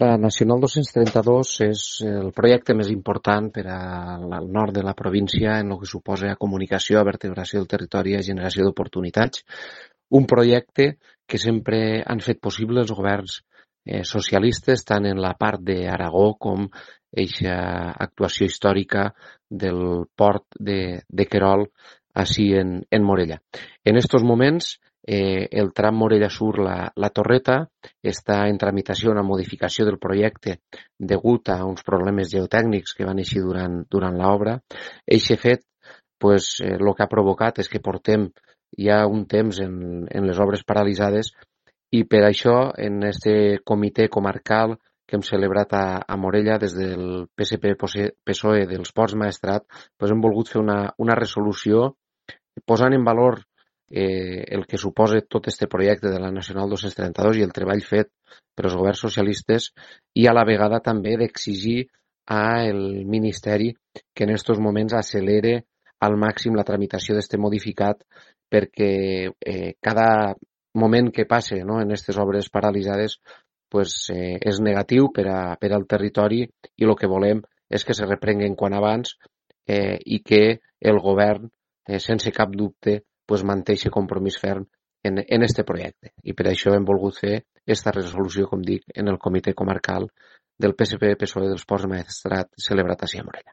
La Nacional 232 és el projecte més important per al nord de la província en el que suposa a comunicació, a vertebració del territori i a generació d'oportunitats. Un projecte que sempre han fet possible els governs socialistes, tant en la part d'Aragó com eixa actuació històrica del port de Querol, així en Morella. En estos moments, el tram Morella Sur, la Torreta, està en tramitació una modificació del projecte degut a uns problemes geotècnics que van eixir durant l'obra. Eixe fet, el que ha provocat és que portem ja un temps en les obres paralitzades i per això en este comitè comarcal que hem celebrat a Morella des del PSP-PSOE dels Ports Maestrat, hem volgut fer una resolució posant en valor el que suposa tot este projecte de la Nacional 232 i el treball fet per els governs socialistes i a la vegada també d'exigir al Ministeri que en aquests moments accelere al màxim la tramitació d'este modificat perquè cada moment que passe en aquestes obres paralitzades és negatiu per al territori i el que volem és que se reprenguen quan abans i que el govern, sense cap dubte, manté aquest compromís ferm en este projecte. I per això hem volgut fer aquesta resolució, com dic, en el comitè comarcal del PSP-PSOE dels Ports Maestrat celebrat a Morella.